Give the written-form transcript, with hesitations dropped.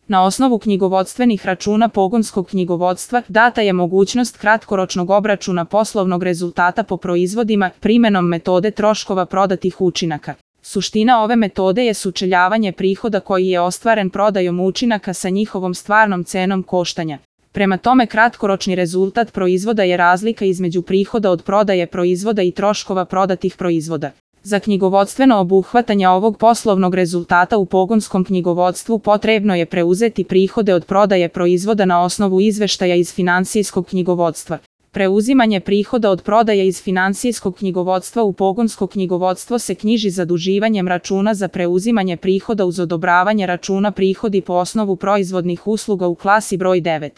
Na osnovu knjigovodstvenih računa pogonskog knjigovodstva data je mogućnost kratkoročnog obračuna poslovnog rezultata po proizvodima primenom metode troškova prodatih učinaka. Suština ove metode je sučeljavanje prihoda koji je ostvaren prodajom učinaka sa njihovom stvarnom cenom koštanja. Prema tome, kratkoročni rezultat proizvoda je razlika između prihoda od prodaje proizvoda i troškova prodatih proizvoda. Za knjigovodstveno obuhvatanje ovog poslovnog rezultata u pogonskom knjigovodstvu potrebno je preuzeti prihode od prodaje proizvoda na osnovu izveštaja iz finansijskog knjigovodstva. Preuzimanje prihoda od prodaje iz finansijskog knjigovodstva u pogonsko knjigovodstvo se knjiži zaduživanjem računa za preuzimanje prihoda uz odobravanje računa prihodi po osnovu proizvodnih usluga u klasi broj 9.